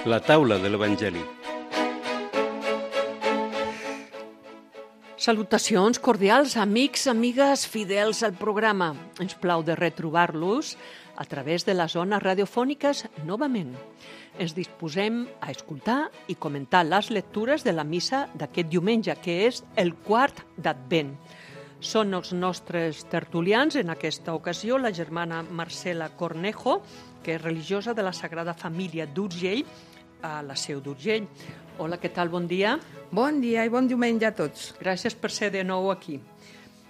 La taula de l'Evangeli. Salutacions cordials, amics, amigues, fidels al programa. Ens plau de retrobar-los a través de les zones radiofòniques novament. Ens disposem a escoltar i comentar les lectures de la missa d'aquest diumenge, que és el quart d'Advent. Són els nostres tertulians, en aquesta ocasió, la germana Marcela Cornejo, que és religiosa de la Sagrada Família d'Urgell, a la Seu d'Urgell. Hola, què tal? Bon dia. Bon dia i bon diumenge a tots. Gràcies per ser de nou aquí.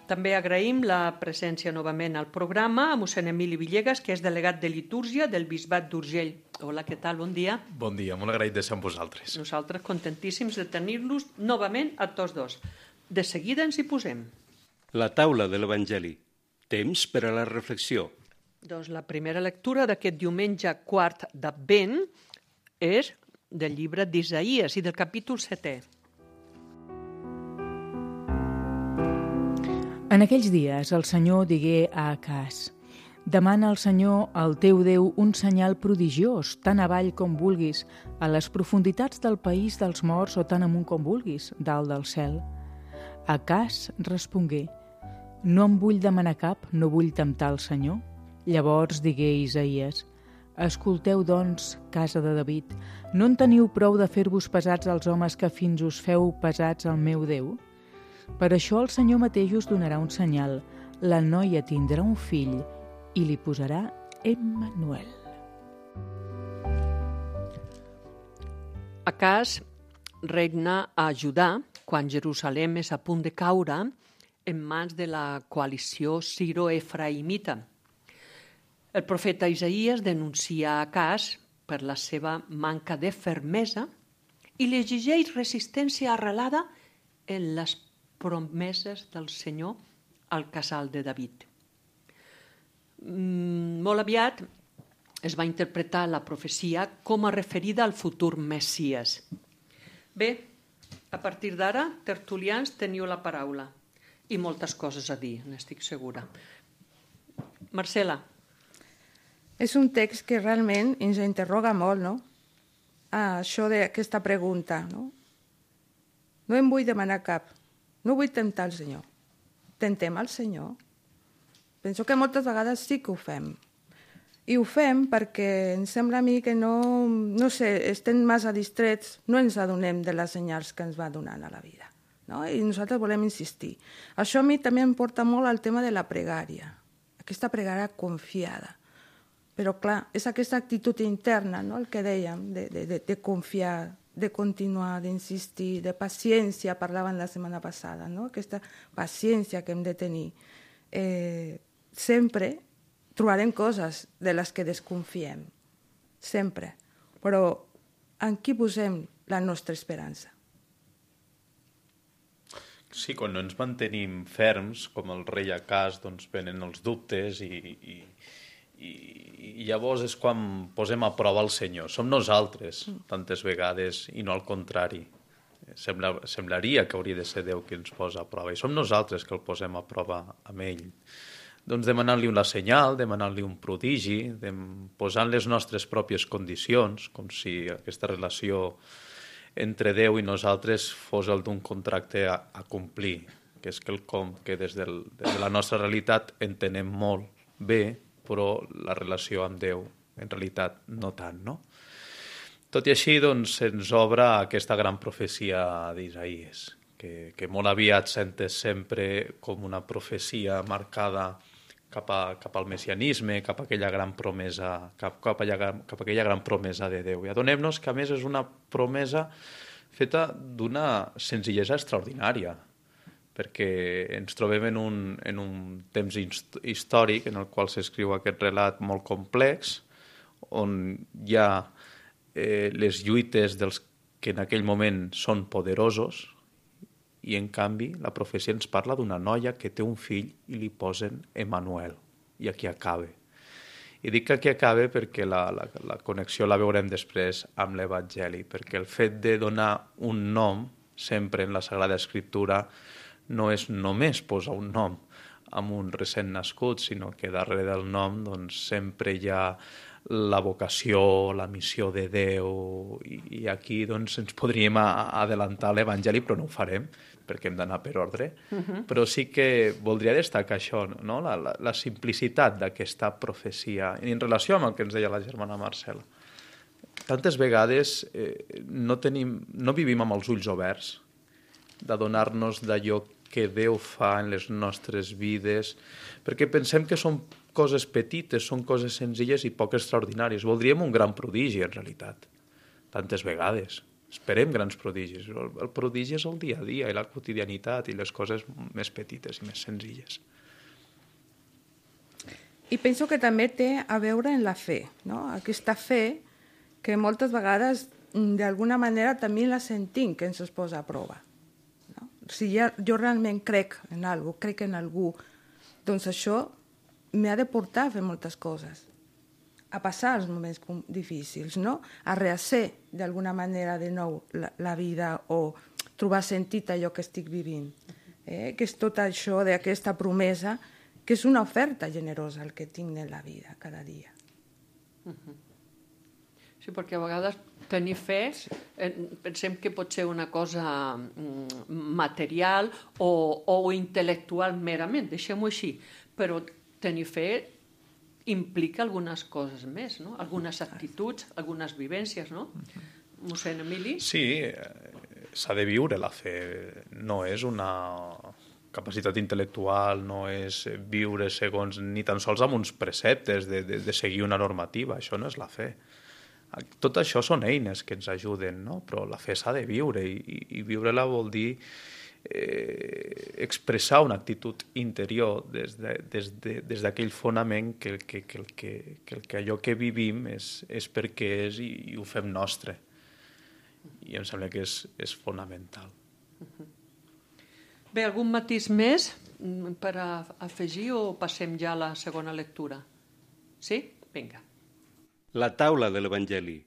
També agraïm la presència novament al programa a mossèn Emili Villegas, que és delegat de litúrgia del Bisbat d'Urgell. Hola, què tal? Bon dia. Bon dia, molt agraït de ser amb vosaltres. Nosaltres contentíssims de tenir-los novament a tots dos. De seguida ens hi posem. La taula de l'Evangeli. Temps per a la reflexió. Doncs la primera lectura d'aquest diumenge quart d'Advent és del llibre d'Isaïes i del capítol 7è. En aquells dies el Senyor digué a Acàs: demana al Senyor, el teu Déu, un senyal prodigiós, tan avall com vulguis, a les profunditats del país dels morts o tan amunt com vulguis, dalt del cel. Acàs respongué: no em vull demanar cap, no vull temptar el Senyor. Llavors digué Isaïes: escolteu, doncs, casa de David, no en teniu prou de fer-vos pesats als homes que fins us feu pesats al meu Déu? Per això el Senyor mateix us donarà un senyal. La noia tindrà un fill i li posarà Emmanuel. Acàs regna a Judà quan Jerusalem és a punt de caure en mans de la coalició siro-efraïmita. El profeta Isaïes denuncia Acàs per la seva manca de fermesa i li exigeix resistència arrelada en les promeses del Senyor al casal de David. Molt aviat es va interpretar la profecia com a referida al futur Messies. Bé, a partir d'ara, tertulians, teniu la paraula i moltes coses a dir, n'estic segura. Marcela. És un text que realment ens interroga molt, no? Això d'aquesta pregunta, no? No em vull demanar cap, no vull temptar el Senyor. Tentem el Senyor? Penso que moltes vegades sí que ho fem. I ho fem perquè em sembla a mi que no sé, estem massa distrets, no ens adonem de les senyals que ens va donant a la vida. No? I nosaltres volem insistir. Això a mi també em porta molt al tema de la pregària, aquesta pregària confiada. Però clar, és aquesta actitud interna, no? El que dèiem, de confiar, de continuar, d'insistir, de paciència, parlaven la setmana passada, no? Aquesta paciència que hem de tenir. Sempre trobarem coses de les que desconfiem, sempre. Però en qui posem la nostra esperança? Sí, quan no ens mantenim ferms, com el rei Acàs, doncs venen els dubtes i llavors és quan posem a prova el Senyor. Som nosaltres, tantes vegades, i no al contrari. Semblaria que hauria de ser Déu qui ens posa a prova, i som nosaltres que el posem a prova amb ell. Doncs demanant-li una senyal, demanant-li un prodigi, posant les nostres pròpies condicions, com si aquesta relació entre Déu i nosaltres fos el d'un contracte a complir, que és quelcom que des de la nostra realitat entenem molt bé, però la relació amb Déu en realitat no tant, no? Tot i així, doncs, se'ns obre aquesta gran profecia d'Isaïes, que molt aviat s'entès sempre com una profecia marcada cap al messianisme, cap a aquella gran promesa, cap a aquella gran promesa de Déu. I adonem-nos que, a més, és una promesa feta d'una senzillesa extraordinària, perquè ens trobem en un temps històric en el qual s'escriu aquest relat molt complex, on hi ha les lluites dels que en aquell moment són poderosos, i en canvi la profecia ens parla d'una noia que té un fill i li posen Emmanuel, i aquí acaba. I dic que aquí acaba perquè la connexió la veurem després amb l'Evangeli, perquè el fet de donar un nom sempre en la Sagrada Escriptura no és només posar un nom amb un recent nascut, sinó que darrere del nom doncs, sempre hi ha la vocació, la missió de Déu, i aquí doncs, ens podríem adelantar l'Evangeli, però no ho farem, perquè hem d'anar per ordre. Però sí que voldria destacar això, no? La simplicitat d'aquesta profecia, en relació amb el que ens deia la germana Marcela. Tantes vegades no vivim amb els ulls oberts, d'adonar-nos d'allò que Déu fa en les nostres vides, perquè pensem que són coses petites, són coses senzilles i poc extraordinàries. Voldríem un gran prodigi, en realitat, tantes vegades. Esperem grans prodigis. El prodigi és el dia a dia i la quotidianitat i les coses més petites i més senzilles. I penso que també té a veure en la fe, no? Aquesta fe que moltes vegades d'alguna manera també la sentim que ens es posa a prova. No? Si jo realment crec en algú, crec en algú, doncs això m'ha de portar a fer moltes coses, a passar els moments difícils, no? A rehacer d'alguna manera de nou la vida o trobar sentit a allò que estic vivint. Que és tot això d'aquesta promesa, que és una oferta generosa el que tinc en la vida cada dia. Sí, perquè a vegades tenir fe pensem que pot ser una cosa material o intel·lectual merament, deixem-ho així, però tenir fe implica algunes coses més, no? Algunes actituds, algunes vivències, no? Mossèn Emili? Sí, s'ha de viure la fe. No és una capacitat intel·lectual, no és viure segons ni tan sols amb uns preceptes de seguir una normativa. Això no és la fe. Tot això són eines que ens ajuden, no? Però la fe s'ha de viure i viure-la vol dir expressar una actitud interior des d'aquell fonament que allò que vivim és perquè és i ho fem nostre. I em sembla que és fonamental. Bé, algun matís més per afegir o passem ja a la segona lectura? Sí? Vinga. La taula de l'Evangeli,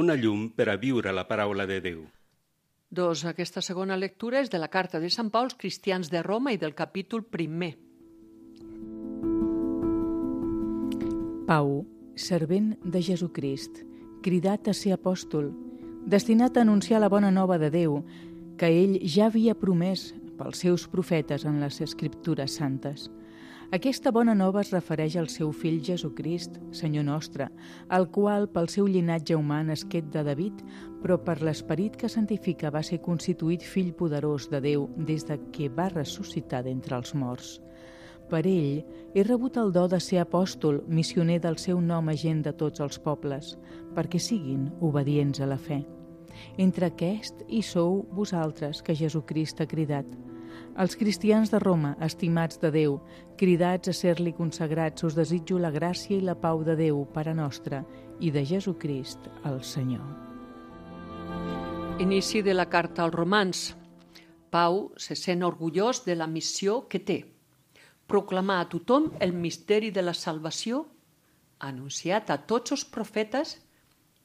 una llum per a viure la paraula de Déu. Doncs aquesta segona lectura és de la carta de Sant Pau als cristians de Roma i del capítol 1. Pau, servent de Jesucrist, cridat a ser apòstol, destinat a anunciar la bona nova de Déu, que ell ja havia promès pels seus profetes en les Escriptures santes. Aquesta bona nova es refereix al seu fill Jesucrist, Senyor nostre, el qual pel seu llinatge humà nasquet de David, però per l'esperit que santifica va ser constituït fill poderós de Déu des de que va ressuscitar d'entre els morts. Per ell he rebut el do de ser apòstol, missioner del seu nom agent de tots els pobles, perquè siguin obedients a la fe. Entre aquest hi sou vosaltres, que Jesucrist ha cridat. Els cristians de Roma, estimats de Déu, cridats a ser-li consagrats, us desitjo la gràcia i la pau de Déu, Pare nostre, i de Jesucrist, el Senyor. Inici de la carta als Romans. Pau se sent orgullós de la missió que té. Proclamar a tothom el misteri de la salvació, anunciat a tots els profetes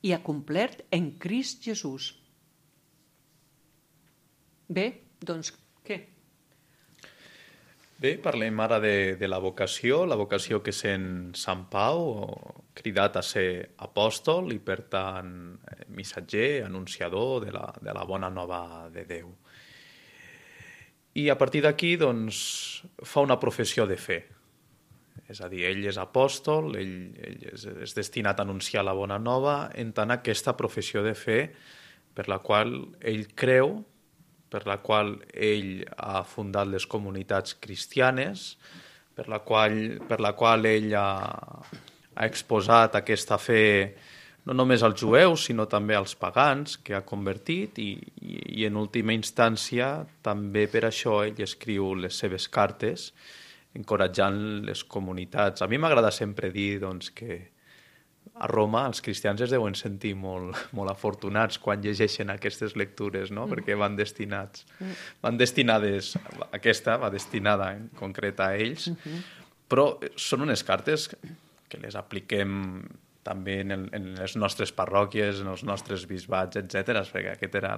i acomplert en Crist Jesús. Bé, doncs, què? Bé, parlem ara de la vocació que sent Sant Pau, cridat a ser apòstol i, per tant, missatger, anunciador de la bona nova de Déu. I a partir d'aquí, doncs, fa una professió de fe. És a dir, ell és apòstol, ell és destinat a anunciar la bona nova, en tant aquesta professió de fe per la qual ell creu, per la qual ell ha fundat les comunitats cristianes, per la qual ell ha exposat aquesta fe no només als jueus, sinó també als pagans, que ha convertit, i en última instància també per això ell escriu les seves cartes, encoratjant les comunitats. A mi m'agrada sempre dir doncs, que a Roma els cristians es deuen sentir molt, molt afortunats quan llegeixen aquestes lectures, no? Perquè van destinades, aquesta va destinada en concret a ells, però són unes cartes que les apliquem també en les nostres parròquies, en els nostres bisbats, etc. Perquè aquest era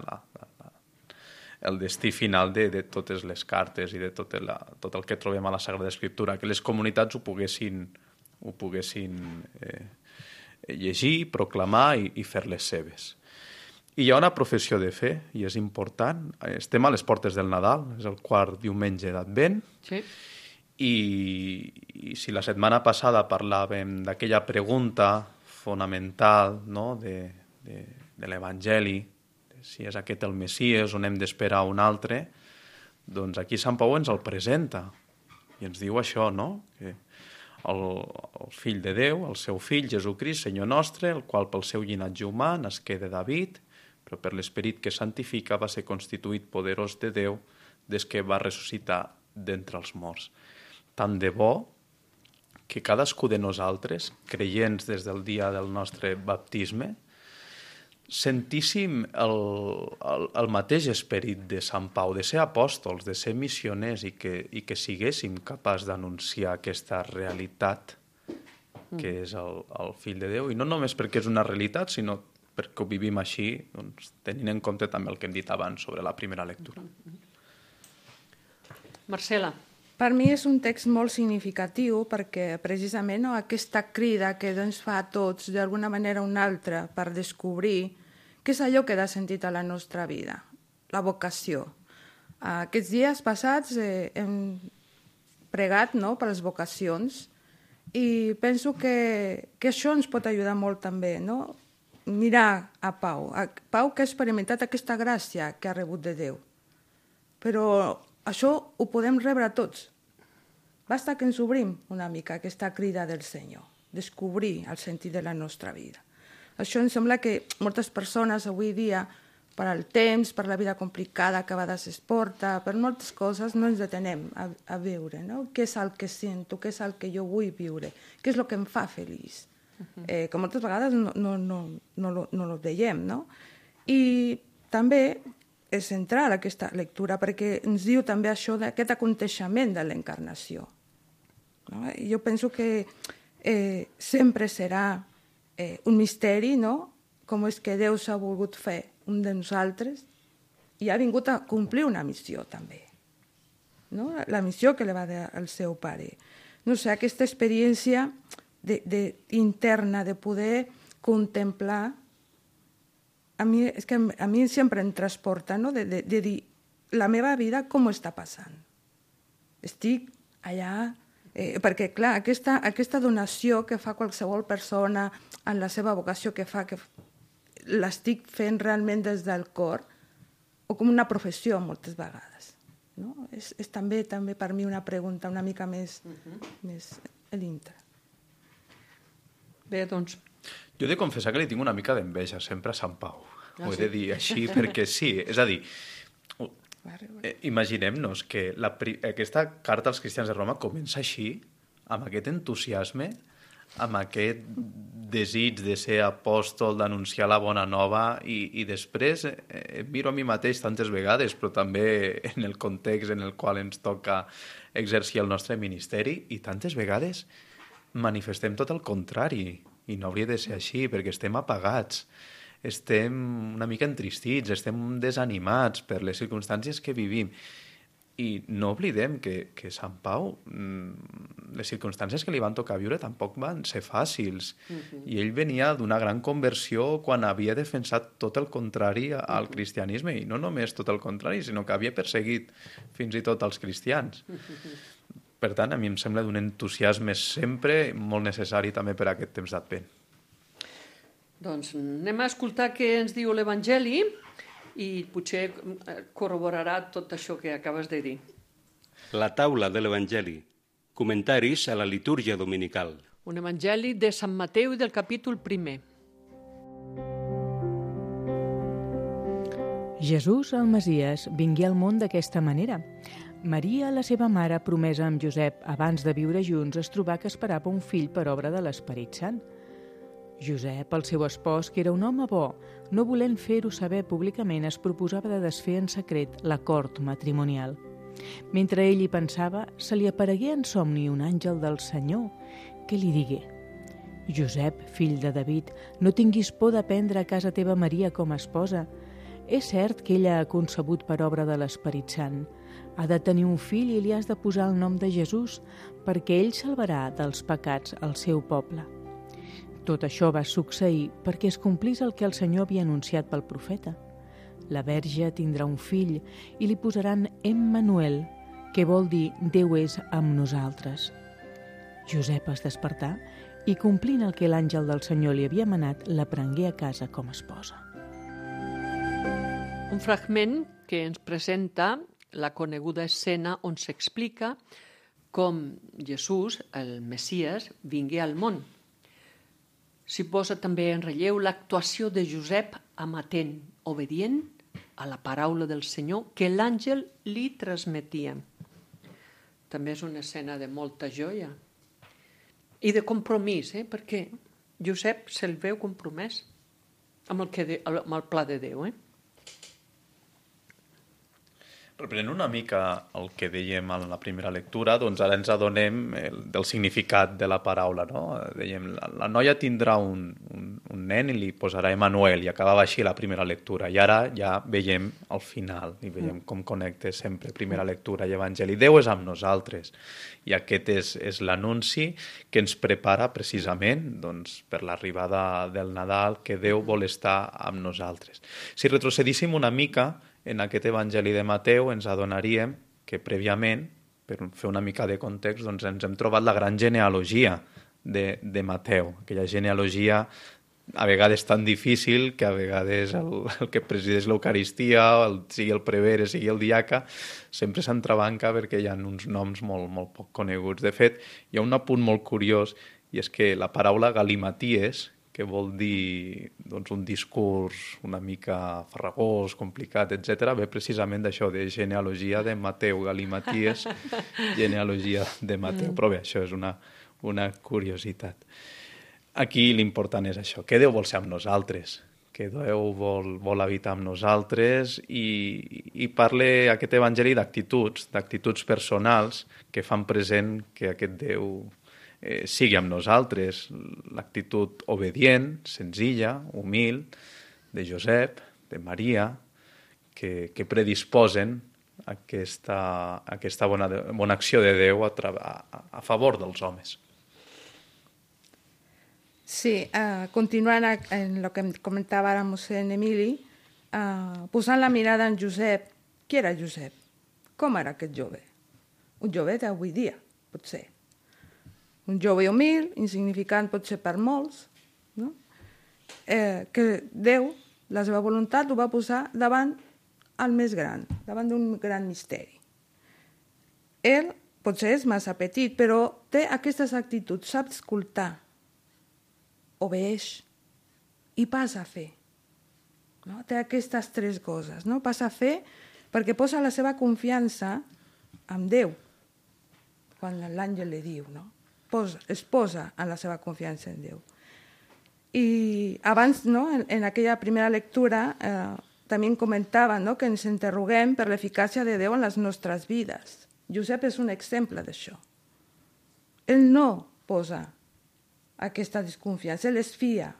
el destí final de totes les cartes i de tot el que trobem a la Sagrada Escriptura, que les comunitats ho poguessin llegir, proclamar i fer-les seves. I hi ha una professió de fe, i és important. Estem a les portes del Nadal, és el quart diumenge d'Advent, Sí. i si la setmana passada parlàvem d'aquella pregunta fonamental, no?, de l'Evangeli, si és aquest el Messies o n'hem d'esperar un altre, doncs aquí Sant Pau ens el presenta i ens diu això, no?, que el fill de Déu, el seu fill, Jesucrist, Senyor nostre, el qual pel seu llinatge humà nasqué de David, però per l'esperit que santifica va ser constituït poderós de Déu des que va ressuscitar d'entre els morts. Tant de bo que cadascú de nosaltres, creients des del dia del nostre baptisme, sentíssim el mateix esperit de Sant Pau, de ser apòstols, de ser missioners i que siguéssim capaços d'anunciar aquesta realitat que és el fill de Déu, i no només perquè és una realitat, sinó perquè ho vivim així, doncs, tenint en compte també el que hem dit abans sobre la primera lectura. Marcela. Per mi és un text molt significatiu perquè precisament aquesta crida que ens fa a tots d'alguna manera o una altra per descobrir què és allò que dà sentit a la nostra vida, la vocació. Aquests dies passats hem pregat, no?, per les vocacions i penso que això ens pot ajudar molt també, no? Mirar a Pau que ha experimentat aquesta gràcia que ha rebut de Déu. Però això ho podem rebre tots. Basta que ens obrim una mica aquesta crida del Senyor, descobrir el sentit de la nostra vida. Això em sembla que moltes persones avui dia, per al temps, per la vida complicada que a vegades es porta, per moltes coses no ens detenem a veure, no? Què és el que sento, què és el que jo vull viure, què és el que em fa feliç. Que moltes vegades no ho veiem, no? I també és central aquesta lectura perquè ens diu també això d'aquest aconteixement de l'encarnació. No? Jo penso que sempre serà un misteri, no?, com és que Déu s'ha volgut fer un de nosaltres i ha vingut a complir una missió també, no? La missió que li va dar el seu pare. No sé, aquesta experiència interna de poder contemplar a mi sempre em transporta, no?, de dir la meva vida com està passant. Estic allà, perquè clar, aquesta donació que fa qualsevol persona en la seva vocació que fa, que l'estic fent realment des del cor, o com una professió moltes vegades. No? És també per mi una pregunta una mica més a dintre. Bé, doncs... Jo he de confessar que li tinc una mica d'enveja sempre a Sant Pau. Ho he de dir així perquè sí. És a dir, imaginem-nos que aquesta carta als cristians de Roma comença així, amb aquest entusiasme, amb aquest desig de ser apòstol, d'anunciar la bona nova, i després miro a mi mateix tantes vegades, però també en el context en el qual ens toca exercir el nostre ministeri, i tantes vegades manifestem tot el contrari, i no hauria de ser així, perquè estem apagats, estem una mica entristits, estem desanimats per les circumstàncies que vivim. I no oblidem que Sant Pau, les circumstàncies que li van tocar viure tampoc van ser fàcils. I ell venia d'una gran conversió quan havia defensat tot el contrari al cristianisme, i no només tot el contrari, sinó que havia perseguit fins i tot els cristians. Per tant, a mi em sembla d'un entusiasme sempre molt necessari també per a aquest temps d'Advent. Doncs anem a escoltar què ens diu l'Evangeli i potser corroborarà tot això que acabes de dir. La taula de l'Evangeli. Comentaris a la litúrgia dominical. Un Evangeli de Sant Mateu del capítol 1. Jesús, el Messies, vingué al món d'aquesta manera. Maria, la seva mare, promesa amb Josep abans de viure junts, es trobà que esperava un fill per obra de l'Esperit Sant. Josep, el seu espòs, que era un home bo, no volent fer-ho saber públicament, es proposava de desfer en secret l'acord matrimonial. Mentre ell hi pensava, se li aparegué en somni un àngel del Senyor que li digué: Josep, fill de David, no tinguis por de prendre a casa teva Maria com a esposa. És cert que ella ha concebut per obra de l'Esperit Sant. Ha de tenir un fill i li has de posar el nom de Jesús, perquè ell salvarà dels pecats el seu poble. Tot això va succeir perquè es complís el que el Senyor havia anunciat pel profeta. La Verge tindrà un fill i li posaran Emmanuel, que vol dir Déu és amb nosaltres. Josep es despertà i, complint el que l'àngel del Senyor li havia manat, la prengué a casa com a esposa. Un fragment que ens presenta la coneguda escena on s'explica com Jesús, el Messies, vingué al món. S'hi posa també en relleu l'actuació de Josep amatent, obedient a la paraula del Senyor que l'àngel li transmetia. També és una escena de molta joia i de compromís, perquè Josep se'l veu compromès amb el pla de Déu. Reprenent una mica el que dèiem en la primera lectura, doncs ara ens adonem del significat de la paraula, no? Dèiem, la noia tindrà un nen i li posarà Emmanuel, i acabava així la primera lectura. I ara ja veiem el final, i veiem com connecta sempre primera lectura i evangeli. Déu és amb nosaltres, i aquest és l'anunci que ens prepara precisament doncs, per l'arribada del Nadal, que Déu vol estar amb nosaltres. Si retrocedíssim una mica en aquest Evangeli de Mateu, ens adonaríem que prèviament, per fer una mica de context, doncs ens hem trobat la gran genealogia de Mateu, aquella genealogia a vegades tan difícil que a vegades el que presideix l'Eucaristia, sigui el prevere, sigui el diaca, sempre s'entrebanca perquè hi ha uns noms molt poc coneguts. De fet, hi ha un apunt molt curiós, i és que la paraula galimaties, que vol dir doncs, un discurs una mica farragós, complicat, etc., ve precisament d'això, de genealogia de Mateu, galimaties, genealogia de Mateu. Però bé, això és una curiositat. Aquí l'important és això, que Déu vol ser amb nosaltres, que Déu vol habitar amb nosaltres, i parla aquest evangeli d'actituds personals que fan present que aquest Déu sigui amb nosaltres. L'actitud obedient, senzilla, humil, de Josep, de Maria, que predisposen aquesta bona acció de Déu a favor dels homes. Sí, continuant en el que comentava ara mossèn Emili, posant la mirada en Josep. Qui era Josep? Com era aquest jove? Un jove d'avui dia, potser. Un jove humil, insignificant potser per molts, no? Que Déu, la seva voluntat, ho va posar davant el més gran, davant d'un gran misteri. Ell potser és massa petit, però té aquestes actituds, sap escoltar, obeeix i passa a fer. No? Té aquestes tres coses, no? Passa a fer perquè posa la seva confiança en Déu, quan l'àngel li diu, no? Es posa en la seva confiança en Déu. I abans, no, en aquella primera lectura, també comentava, no, que ens interroguem per l'eficàcia de Déu en les nostres vides. Josep és un exemple d'això. Ell no posa aquesta desconfiança, ell es fia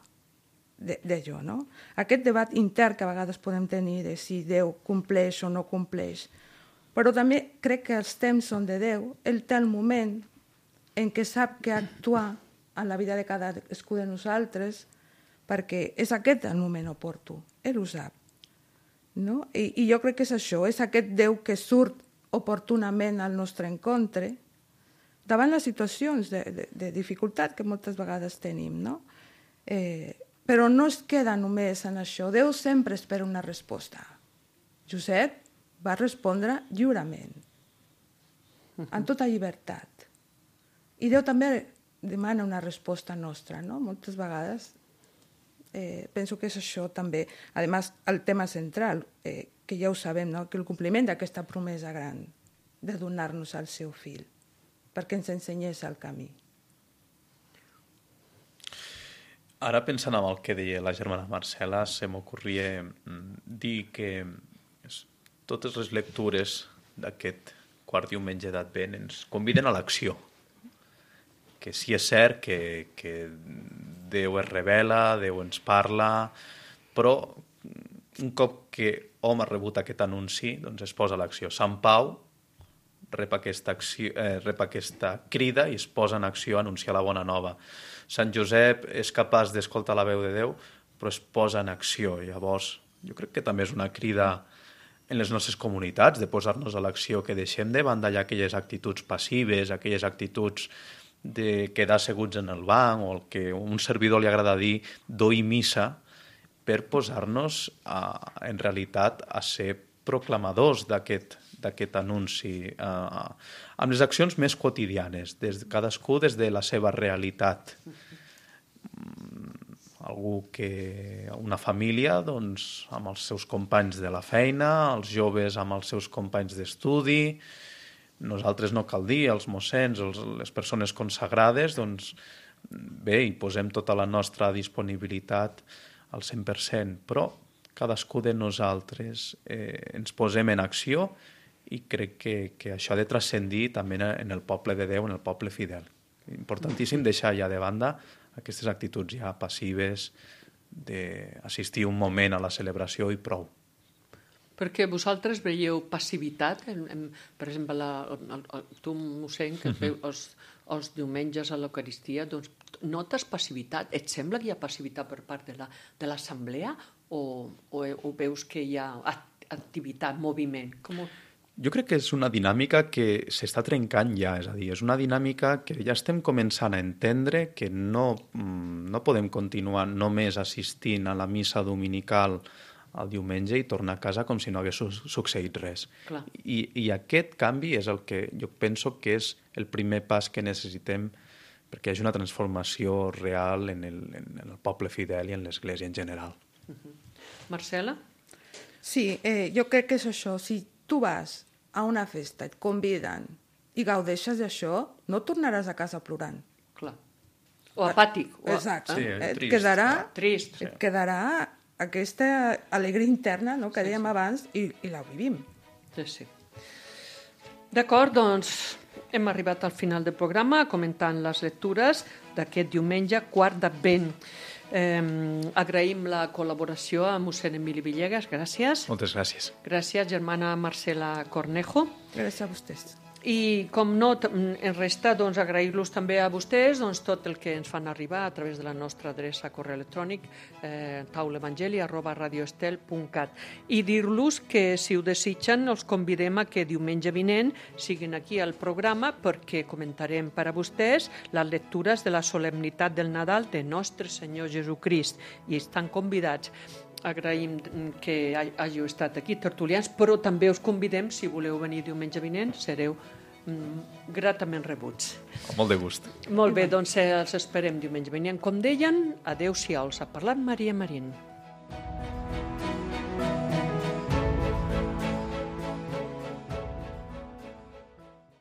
d'allò, no? Aquest debat intern que a vegades podem tenir de si Déu compleix o no compleix. Però també crec que els temps són de Déu, ell té el moment en què sap que actuar en la vida de cadascú de nosaltres, perquè és aquest el moment oportú, ell ho sap. No? I jo crec que és això, és aquest Déu que surt oportunament al nostre encontre, davant les situacions de dificultat que moltes vegades tenim, no? Però no es queda només en això, Déu sempre espera una resposta. Josep va respondre lliurement, amb tota llibertat. I Déu també demana una resposta nostra, no? Moltes vegades penso que és això també. A més, el tema central, que ja ho sabem, no? Que el compliment d'aquesta promesa gran de donar-nos al seu fill, perquè ens ensenyés el camí. Ara, pensant en el que deia la germana Marcela, se m'ocorria dir que totes les lectures d'aquest quart diumenge d'Advent ens conviden a l'acció. Que sí és cert que Déu es revela, Déu ens parla, però un cop que hom ha rebut aquest anunci, doncs es posa a l'acció. Sant Pau rep aquesta crida i es posa en acció a anunciar la bona nova. Sant Josep és capaç d'escoltar la veu de Déu, però es posa en acció. Llavors, jo crec que també és una crida en les nostres comunitats de posar-nos a l'acció, que deixem de banda ja aquelles actituds passives, aquelles actituds de quedar asseguts en el banc, o el que a un servidor li agrada dir doi missa, per posar-nos en realitat a ser proclamadors d'aquest anunci, amb les accions més quotidianes, cadascú des de la seva realitat. Una família doncs, amb els seus companys de la feina, els joves amb els seus companys d'estudi, nosaltres no cal dir, els mossens, les persones consagrades, doncs bé, hi posem tota la nostra disponibilitat al 100%, però cadascú de nosaltres ens posem en acció i crec que això ha de transcendir també en el poble de Déu, en el poble fidel. Importantíssim deixar ja de banda aquestes actituds ja passives d'assistir un moment a la celebració i prou. Perquè vosaltres veieu passivitat, per exemple, tu, mossèn, que veu els diumenges a l'Eucaristia, doncs notes passivitat? Et sembla que hi ha passivitat per part de l'assemblea o veus que hi ha activitat, moviment? Jo crec que és una dinàmica que s'està trencant ja, és a dir, és una dinàmica que ja estem començant a entendre que no podem continuar només assistint a la missa dominical el diumenge i tornar a casa com si no hagués succeït res. I aquest canvi és el que jo penso que és el primer pas que necessitem perquè hi hagi una transformació real en el poble fidel i en l'Església en general. Marcela? Sí, jo crec que és això. Si tu vas a una festa, et conviden i gaudeixes d'això, no tornaràs a casa plorant. Clar. O apàtic. Exacte. Sí, et trist. Et quedarà aquesta alegria interna, no?, que dèiem abans, i la vivim. Sí. D'acord, doncs hem arribat al final del programa comentant les lectures d'aquest diumenge, quart d'Advent. Agraïm la col·laboració a mossèn Emili Villegas, gràcies. Moltes gràcies. Gràcies, germana Marcela Cornejo. Gràcies a vostès. I, com no, ens resta agrair-los també a vostès tot el que ens fan arribar a través de la nostra adreça correu electrònic taulevangeli@radioestel.cat i dir-los que, si ho desitgen, els convidem a que diumenge vinent siguin aquí al programa perquè comentarem per a vostès les lectures de la solemnitat del Nadal de Nostre Senyor Jesucrist i estan convidats. Agraïm que hàgiu estat aquí, tertulians, però també us convidem, si voleu venir diumenge vinent, sereu gratament rebuts. Amb molt de gust. Molt bé, doncs els esperem diumenge vinent. Com deien, adeu-siau, us ha parlat Maria Marín.